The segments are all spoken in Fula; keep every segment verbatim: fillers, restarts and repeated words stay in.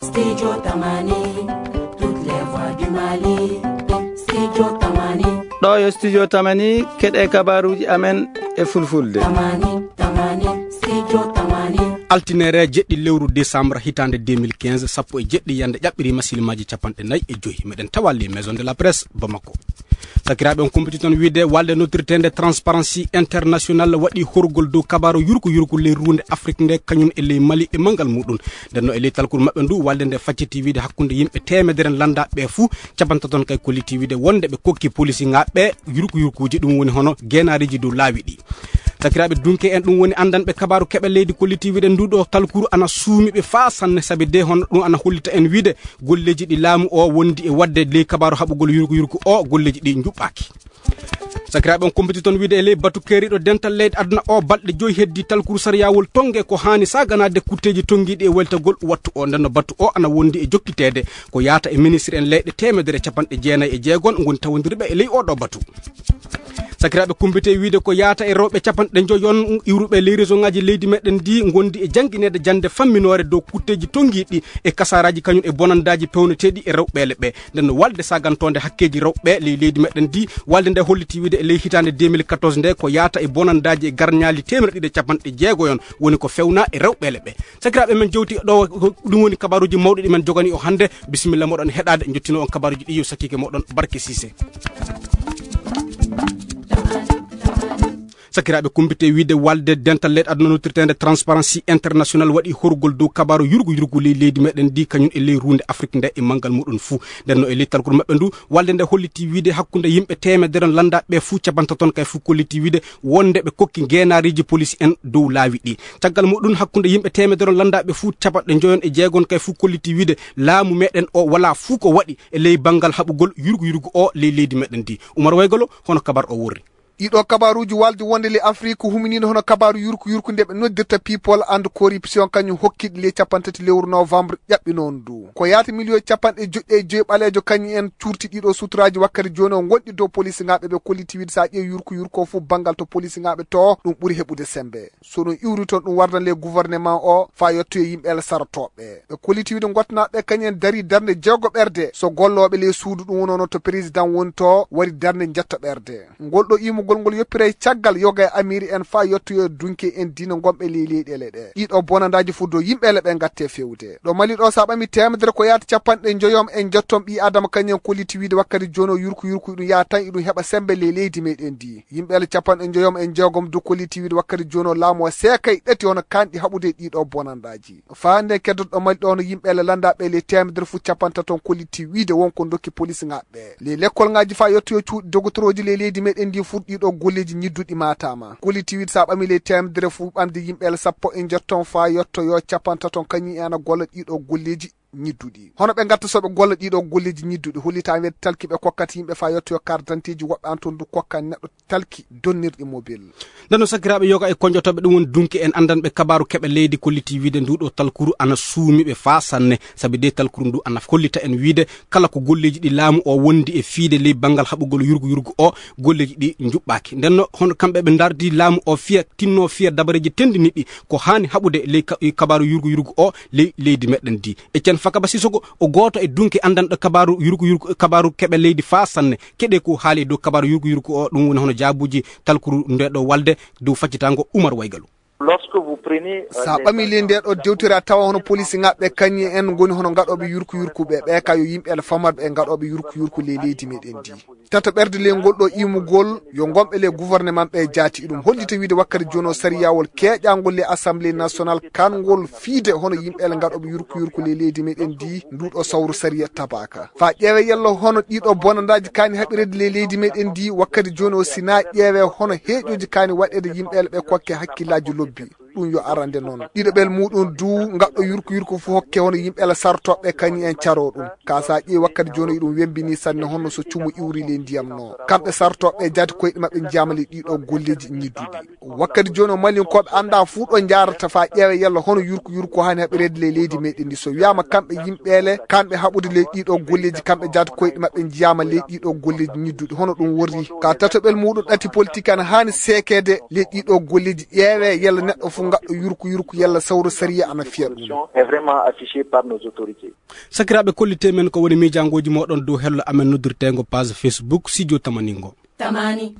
Studio Tamani, toutes les voix du Mali. Studio Tamani. Ɗo yo Studio Tamani, keɗe kabaruji amen e fulfulde. Tamani, Tamani, Studio Tamani. Altinere jeɗɗi lewru décembre hitande deux mille quinze, sappo e jeɗɗi yande ƴaɓɓiri masilmaji capanɗe nayi e joyi. Meɗen tawa les maisons de la presse Bamako. Sakiraaɓe, on kumpiti toon wiide walde noddirteende Transparency International waɗi horgol dow kabaru yurko yurko ley ruunde Afrik nde, kañum e ley Mali e manngal muɗum. Nden no e ley talkuru maɓɓe ndu, walde nde facciti wiide hakkunde yimɓe teemedere lannda ɓe fuu, capantato on kay kolliti wiide wonde ɓe kokki polisiŋaaɓe yurko yurkuuji, ɗum woni hono geenaariji dow laawi ɗi. Sakiraaɓe, dunke en, ɗum woni anndanɓe kabaru keɓe leydi kolliti wiide ndu ɗo talkuru ana suumi ɓe faa sanne, sabi de hono ɗum ana hollita en wiide golleji ɗi laamu o wondi e wadde ley kabaru haɓugol yurko yurko o, golleji ɗi njuɓɓaaki. Sakiraaɓe, on kumpiti toon wiide e ley batu keeriɗo dental leyɗe aduna o, balɗe joyi heddi talkuru sariyawol tonge ko haani saaganaade kutteji tongiiɗi e weltagol wattu o. Nden no batu o ana wondi e jokkiteede ko yaata e ministre en leyɗe teemedere capanɗe jeenayi e jeego ngoni tawondirɓe e ley oɗo batu. Sakiraaɓe, kumpite wiide ko yaata e rewɓe capanɗe joyi on iwruɓe ley réseau ngaji leydi meɗen ndi ngondi e janngineede jannde famminoore dow kutteji tongiiɗi e kasaraji kañum e bonandaaji pewneteeɗi e rewɓeele ɓe. Nden no walde sagantoonde hakkeeji rewɓe ley leydi meɗen ndi, walde nde holliti wiide e ley hitaande deux mille quatorze nde ko yaata e bonandaaji e garñaali teemedere ɗiɗi e capanɗe jeego yon woni ko fewna e rewɓeele ɓe. Sakiraaɓe, men jewti ɗo, ko ɗum woni kabaruuji mawɗi ɗi men jogani o hannde. Bisimilla moɗon heɗaade, njottino on kabaruuji ɗi yo sakiike moɗon Barke Siise. Sakiraaɓe, kumpite wiide walde dental leyɗe aduna noddirteende Transparency International waɗi horgol dow kabaru yurgu yurgu ley leydi meɗen ndi, kañum e ley ruunde Afrik nde e manngal muɗum fuu. Nden no e ley talkuru maɓɓe ndu, walde nde holliti wiide hakkunde yimɓe teemedere on lannda ɓe fuu, capantato on kay fuu kolliti wiide wonde ɓe kokki ngeenaariji polisi en dow laawi ɗi. Caggal muɗum, hakkunde yimɓe teemedere on lannda ɓe fuu, capanɗe joyi on e jeego on kay fuu kolliti wiide laamu meɗen o wala fuu ko waɗi e ley banngal haɓugol yurgu yurgu o ley leydi meɗen ndi. Umar Waygolo, hono kabar o worri? Ɗiɗo kabaruuji waldi wonde ley Afrik huminiino hono kabaru yurku yurku nde ɓe noddirta People and Corruption, kañum hokkiɗi ley capantati lewru novembre ƴaɓɓinoondu. Ko yaata miliyon capanɗe joyi e joyi ɓaleejo kañum en cuurti ɗiɗo suturaaji wakkati jooni o ngonɗi dow polisiŋaaɓe ɓe kolliti wiide so a ƴeewi yurku yurku o fof banngal to polisiŋaaɓe to ɗum ɓuri heɓude semmbe. So ɗum iwri toon ɗum wardan ley gouvernement o faa yettoyo yimɓe el sarotooɓe. Ɓe kolliti wiide ngottanaaɓe kañum en darii darnde jeego ɓerde so gollooɓe ley suudu ɗum wonoono to président woni to waɗi darnde njetto ɓerde. Ngol ɗo iwmugol ngol yoppiray caggal yoga e amiiri en faa yettoyo dunke en diina ngonɓe ley leyɗeele ɗe. Ɗiɗo bonandaaji fof dow yimɓeele ɓe ngatte feewde. Ɗo Mali ɗo so a ɓami teemedere ko yaata capanɗe njoyom e njettom ɓii Adama kañum en kolliti wiide wakkati jooni o yurku yurku ɗum yaha tan iɗum heɓa semmbe ley leydi meɗen ndi. Yimɓeele capanɗe njoyom e jeegom dow kolliti wiide wakkati jooni o laamu o seekay ɗati hono kanɗi haɓude ɗiɗo bonandaaji. Faa nden keddoto ɗo Mali ɗo hono yimɓeele lannda ɓe ley teemedere fof capantato on kolliti wiide won ko ndokki polisiŋaaɓe. Ley lekkolŋaaji faa yettoyo cuuɗi dogotorooji ley leydi meɗen ndi fof ɗiɗo golleeji ñidduɗi maataama. Kolliti wiide so a ɓami ley teemedere fof ɓamde yimɓeele sappo e njettom faa yettoyo capantato on kañum en ana golla ɗiɗo golleeji ñidduɗi. Hono ɓe ngatta so ɓe golla ɗiɗo golleeji ñidduɗi hollitaama wiyde talki ɓe kokkata yimɓe faa yettoyo carte d'identité ji woɓɓe an toon du kokka neɗɗo talki donnirɗi mobile. Nden no sakiraaɓe yoga e koñjotooɓe ɗum woni dunke en anndanɓe kabaru keɓe leydi kolliti wiide ndu ɗo talkuru ana suumi ɓe faa sanne, sabi de talkuru ndu ana hollita en wiide kala ko golleeji ɗi laamu o wondi e fiide ley banngal haɓugol yurgu yurgu o, golleeji ɗi njuɓɓaaki. Nden no hono kamɓe ɓe ndardi laamu o fiya, tinno fiya dabareeji tendiniɗi ko haani haɓude ley ka-, kabaru yurgu yurgu o ley leydi meɗen ndi. E Cen Fakaba Sisoko, o gooto e dunke anndanɗo kabaru yurgu yurgu, kabaru keɓe leydi faa sanne. Keɗe ko haali dow kabaru yurgu yurgu o, ɗum woni hono jaabuuji talkuru nde ɗo walde dow faccitango Umar Waygalu. Lorsque vous prenez, euh, Sa ɓami ley nde ɗo dewtira tawa hono polisi ŋaɓɓe kañum en ngoni hono ngaɗooɓe yurku yurku ɓe, ɓe ka yo yimɓe el famarɓe e ngaɗooɓe yurku yurku ley leydi meɗen ndi. Tata ɓerde ley ngol ɗo imugol yo ngonɓe ley gouvernement ɓe jaati. Iɗum hollita wiide wakkati jooni o sariyawol keeƴangol ley Assemblée nationale kangol fiide hono yimɓe el ngaɗooɓe yurku yurku ley leydi meɗen ndi ndu ɗo sawru sariya tabaka. Fa ƴeewe yalla hono ɗiɗo bonandaaji kaani haɓirede ley leydi meɗen ndi wakkati jooni o sina ƴeewe hono heeƴoji kaani waɗede yimɓe el ɓe kokke hakkillaaji lobbi. Ɗum yo arande noon. Ɗiɗo ɓel muɗum du ngaɗɗo yurku yurku fof hokke hono yimɓe el sartoɓe kañum en caro ɗum. Ka sa ƴeewi wakkati jooni iɗum wembini sanne hono so cumu iwri ley ndiyam no. Kamɓe sartoɓe jaati koyɗe maɓɓe njiyaama ley ɗiɗo golleeji ñidduɗi. Wakkati jooni o Malinkooɓe annda fuu ɗo njaarata fa ƴeewe yalla hono yurku yurku haani haɓireede ley leydi meɗen ndi. So wiyaama kamɓe yimɓeele, kamɓe haɓude ley ɗiɗo golleeji, kamɓe jaati koyɗe maɓɓe njiyaama ley ɗiɗo golleeji ñidduɗi. Hono ɗum worri. Ka tatoɓel muɗum ɗati politique ana haani seekeede ley ɗiɗo golleeji ƴeewe yalla neɗɗo fof Ngaɗɗo yurku yurku yalla sawro sariya ana fiya ɗum. Est vraiment affiché par nos autorités. Sakiraaɓe, kollitee men ko woni miijaangooji mooɗon dow hello amen noddirteengo page Facebook Studio Tamaningo. Tamani.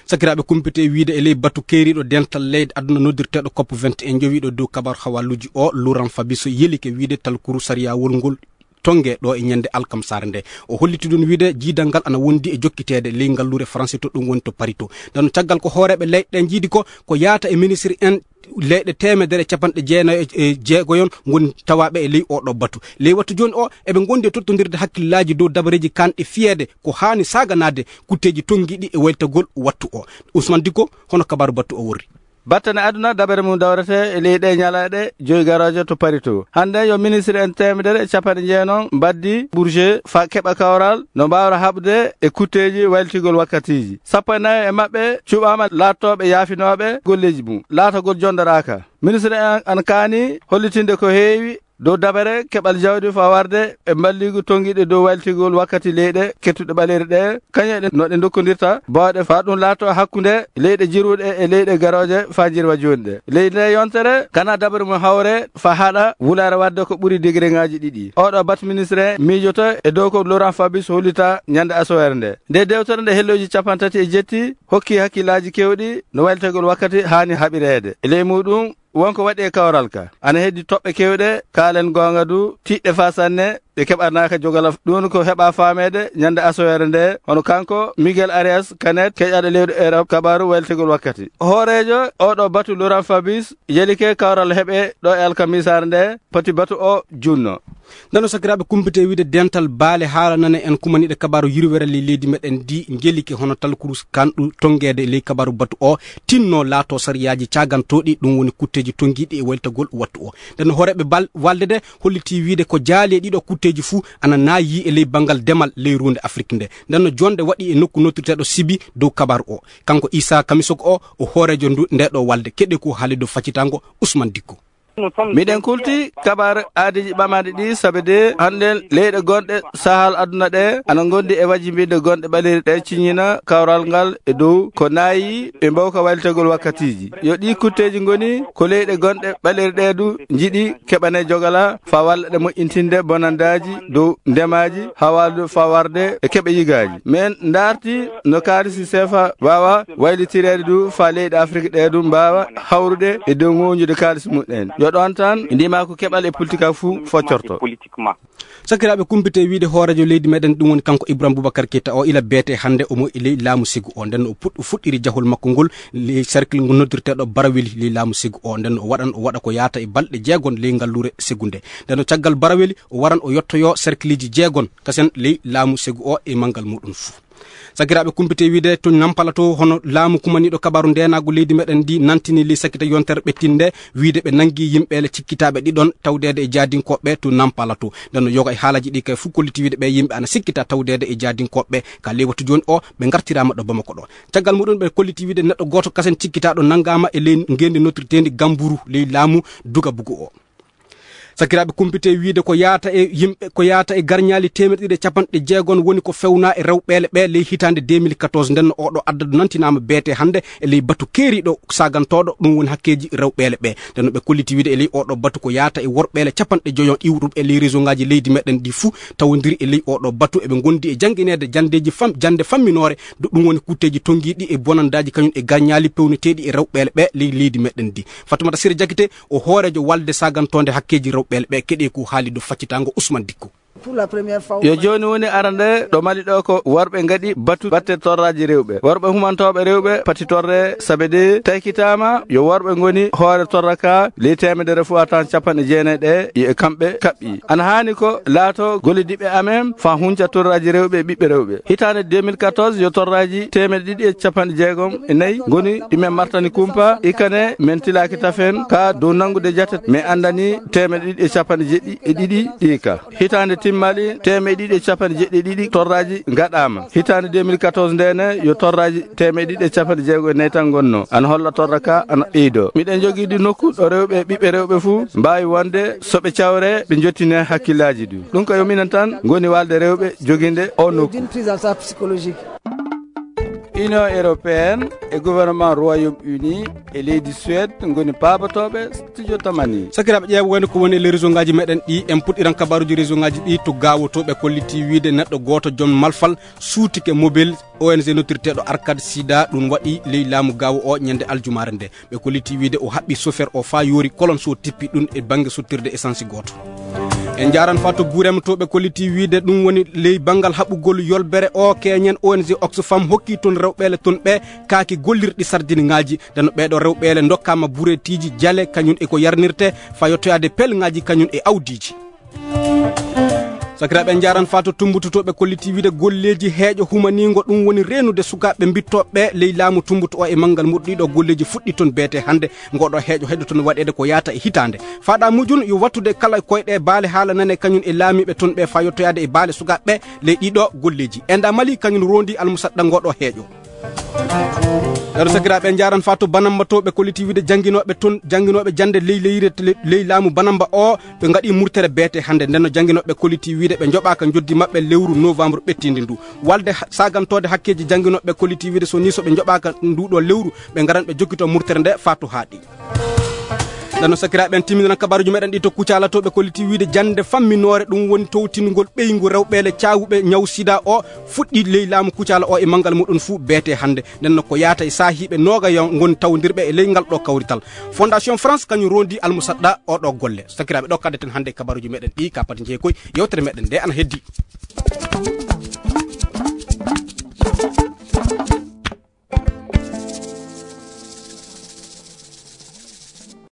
Sakiraaɓe, kumpite e wiide e ley batu keeriiɗo dental leyɗe aduna noddirteeɗo cop vingt et un jowiiɗo dow kabaru hawaluuji o, Laurent Fabiso, yelike wiide talkuru sariyawol ngol tonge ɗo e ñande alkamsaare nde. O holliti ɗum wiide jiidal ngal ana wondi e jokkiteede ley ngalluure Faransi to ɗum woni to Paris to. Ndeno caggal ko hooreeɓe leyɗe ɗe njiidi ko, ko yaata e ministre en leyɗe teemedere e capanɗe jeenayo e jeegoyon ngoni tawaaɓe e ley oɗo batu. Ley wattu jooni o, eɓe ngondi e tottondirde hakkillaaji dow dabareeji kanɗi fiyeede ko haani saaganaade kutteeji tonngiiɗi e waytagol wattu o. Ousmane Dicko, hono kabaru battu o worri. Battane aduna dabere mum dawrete e ley ɗe ñalaaɗe joyi garooje to Paris to. Hannde yo ministre en teemedere e capanɗe jeenayo mbaddi budget faa keɓa kawral no mbaawra haɓde e kutteeji waylitigol wakkatiiji. Sappo e nayo e maɓɓe cuɓaama laattooɓe yaafinooɓe golleeji mum. Laatagol jondoraaka. Ministre en ana kaani hollitinde ko heewi dow dabare keɓal jawdi faa warde e mballigu tonngiiɗe dow waylitigol wakkati leyɗe kettuɗe ɓaleeri ɗe, kañe ɗe no ɗe ndokkondirta bawɗe faa ɗum laato hakkunde leyɗe jirwuɗe e leyɗe garooje faa jirwa jooni ɗe. Ley nde yontere, kana dabare mum hawre faa haɗa wulaare waɗde ko ɓuri degereŋaaji ɗiɗi. Oɗo batu ministre miijoto e dow ko Laurent Fabius hollita ñande asoweere nde. Nde dewtere nde hellooji capanɗe tati e jetti hokki hakkillaaji keewɗi no waylitigol wakkati haani haɓireede. E ley muuɗum, wonko waɗi e kawral ka. Ana heddi toɓɓe keewɗe, kaalen goonga du, tiiɗɗe faa sanne, ɗe keɓanaaka jogala. Ɗum ko heɓa faameede ñande asoweere nde, hono kanko Miguel Arias Canet, keƴaaɗo leydi Europe, kabaru waylitigol wakkati. Hooreejo oɗo batu Laurent Fabius, yelike kawral heɓe ɗo e alkamisaare nde, poti batu o junno. Ndeno sakiraaɓe, kumpite wiide dental baale haala nane en kumaniiɗe kabaru yirwere ley leydi meɗen ndi njelike hono talkuru kanɗu tongeede ley kabaru batu o tinno laato sariyaaji caagantooɗi, ɗum woni kutteeji tongiiɗi e waytagol wattu o. Ndeno hooreeɓe bal-, walde de holliti wiide ko jaali e ɗiɗo kutteeji fuu ana naayi e ley banngal demal ley ruunde Afrik nde. Ndeno jonde waɗi e nokku nottirteeɗo Sibi dow kabaru o. Kanko Issa Kamisok o, o hooreejo ndu, nde ɗo walde. Keɗe ko haali dow faccitango Ousmane Dicko. Miɗen kulti kabaru aadiiji ɓamaaɗi ɗi, sabe de hannden leyɗe gonɗe sahal aduna ɗe ana ngondi e wajibinde gonɗe ɓaleeri ɗe ciññina kawral ngal e dow ko naayi e mbawka waylitegol wakkatiiji. Yo ɗi kutteeji ngoni ko leyɗe gonɗe ɓaleeri ɗe du njiɗi keɓane jogala faa walla ɗe moƴƴintinde bonandaaji dow ndemaaji, hawaalu faa warde e keɓe yigaaji. Men ndaarti no kaalisi sefa waawa waylitireede du faa leyɗe Afrik ɗe du mbaawa hawrude e dow ŋoñude kaalisi mumen. Yo ɗoon tan ndimaaku keɓal e politika fuu foccorto. Sakiraaɓe, kumpite wiide hooreejo leydi meɗen, ɗum woni kanko Ibrahim Boubacar Keita o, ila beete hannde omo e ley laamu segu o. Nden o puɗ-, o fuɗɗiri jahol makko ngol ley cercle ngu noddirteeɗo Baraweli ley laamu segu o. Nden o waɗan, o waɗa ko yaata e balɗe jeegon ley ngalluure segu nde. Nden o caggal Baraweli, o waran o yottoyoo cercleji jeegon kasen ley laamu segu o e manngal muɗum fuu. Sakiraaɓe, kumpite wiide to Nampala to, hono laamu kumaniiɗo kabaru ndeenaagu leydi meɗen ndi nantini ley sakita yontere ɓettinde wiide ɓe nangi yimɓeele cikkitaaɓe ɗiɗon tawdeede e jaadinkooɓe to Nampala to. Nden no yoga e haalaji ɗi kay fuu kolliti wiide ɓe yimɓe ana sikkita tawdeede e jaadinkooɓe ka ley wattu jooni o ɓe ngartiraama ɗo Bamako ɗo. Caggal muɗum ɓe kolliti wiide neɗɗo gooto kasen cikkitaaɗo nangaama e ley ngeendi nottirteendi Gamburu ley laamu Dugabugu o. Sakiraaɓe, kumpite wiide ko yaata e yimɓe, ko yaata e garñaali teemeɗɗe ɗiɗi e capanɗe jeegon woni ko fewnaa e rewɓeele ɓe ley hitaande deux mille quatorze. Nden no oɗo addadu nantinaama beete hannde e ley batu keeriiɗo saagantooɗo, ɗum woni hakkeeji rewɓeele ɓe. Nden no ɓe kolliti wiide e ley oɗo batu ko yaata e worɓeele capanɗe joyo iwruɓe e ley réseau ngaaji leydi meɗen ɗi fuu tawondiri e ley oɗo batu. Eɓe ngondi e janngineede janndeeji fam-, jannde famminoore, do ɗum woni kutteeji tongiiɗi e bonandaaji kañum e garñaali pewneteeɗi e rewɓeele ɓe ley leydi meɗen ndi. Fatumata Sire Jakite, o hooreejo walde sagantoonde hakkeeji rewɓeele ɓe, keɗe ko haali dow faccitango Ousmane Dicko. Yo jooni woni arande ɗo Mali ɗo ko worɓe ngaɗi batu batte torraaji rewɓe. Worɓe humantooɓe rewɓe pati torre sabe de taykitaama yo worɓe ngoni hoore torra ka ley teemedere fuu a tawan capanɗe jeenayi ɗe yo e kamɓe kaɓɓi. Ana haani ko laato gollidiɓɓe amen faa hunca torraaji rewɓe e ɓiɓɓe rewɓe. Hitaande deux mille quatorze yo torraaji teemeɗɗe ɗiɗi e capanɗe jeegom e nayi ngoni ɗi men martani kumpa, ikkane men tilaaki tafen ka dow nanngude jate, men anndani teemeɗɗe ɗiɗi e capanɗe jeɗɗi e ɗiɗi ɗi ka. Hitaande timmaali teemeɗɗe ɗiɗi e capanɗe jeɗɗi e ɗiɗi torraaji ngaɗaama. Hitaande deux mille quatorze nde ne yo torraaji teemeɗɗe ɗiɗi e capanɗe jeego e nayi tan ngonnoo. Ana holla torra ka ana ɓeydoo. Miɗen jogii ɗi nokku ɗo rewɓe e ɓiɓɓe rewɓe fuu mbaawi wonde so ɓe cawre ɓe njottinee hakkillaaji ɗi. Ɗum ko yo minen tan ngoni walde rewɓe joginde o nokku. D'une prise en charge psychologique. Union européenne e gouvernement Royaume-Uni e leydi Suède ngoni paabotooɓe studio Tamani. Sakiraaɓe, ƴeewa wayno ko woni e ley réseau ngaji meɗen ɗi, en puɗɗiran kabaruji réseau ngaji ɗi to Gaawo to. Ɓe kolliti wiide neɗɗo gooto joom malfal suutike mobile O N G nottirteeɗo Arcade Sida, ɗum waɗi ley laamu Gaawo o ñande aljumaare nde. Ɓe kolliti wiide o haɓɓi chauffeur o faa yoori kolon so tippi ɗum e bannge sottirde essence gooto. En njaaran faa to Gurem to. Ɓe kolliti wiide ɗum woni ley banngal haɓugol yolbere o, keñen O N G Oxfam hokki toon rewɓeele toon ɓe kaaki gollirɗi sardiniŋaaji. Ndeno ɓeeɗo rewɓeele ndokkaama bureetiiji, jale, kañum e ko yarnirte faa yottoyaade pelŋaaji kañum e awdiiji. Sakiraaɓe, en njaaran faa to Tumbutu to. Ɓe kolliti wiide golleeji heeƴo humaniingo, ɗum woni reenude sukaaɓe mbittooɓe ley laamu Tumbutu o e manngal muɗum. Ɗiɗo golleeji fuɗɗi toon beete hannde. Ngoɗo heeƴo heɗo toon waɗeede ko yaata e hitaande. Faaɗa mujum yo wattude kala koyɗe baale haala nane kañum e laamiiɓe toon ɓe faa yottoyaade e baale sukaaɓe ley ɗiɗo golleeji. Enda Mali kañum rondi almusaɗɗa ngoɗo heeƴo. Ɗeɗo sakiraaɓe, en njaaran faa to Banamba to. Ɓe kolliti wiide jannginooɓe toon, jannginooɓe jannde ley leyre, ley laamu Banamba o, ɓe ngaɗi murtere beete hannde. Nden no jannginooɓe kolliti wiide ɓe njoɓaaka njoddi maɓɓe lewru novembre ɓettiindi ndu. Walde ha-, sagantoode hakkeeji jannginooɓe kolliti wiide so nii so ɓe njoɓaaka nduɗo lewru, ɓe ngaran ɓe jokkito murtere nde faa to haaɗi. Nden no sakiraaɓe, en timminiran kabaruji meɗen ɗi to Kucala to. Ɓe kolliti wiide jannde famminoore, ɗum woni towtingol ɓeyngu rewɓeele caawuɓe ñaw sida o, fuɗɗi ley laamu Kucala o e manngal muɗum fuu beete hannde. Nden no ko yaata e saahiiɓe noogayo ngoni tawdirɓe e ley ngal ɗo kawrital. Fondation France kañum rondi almusaɗɗa o ɗo golle. Sakiraaɓe, ɗo kaddeten hannde e kabaruji meɗen ɗi, ka pati jeeyi koy yewtere meɗen nde ana heddi.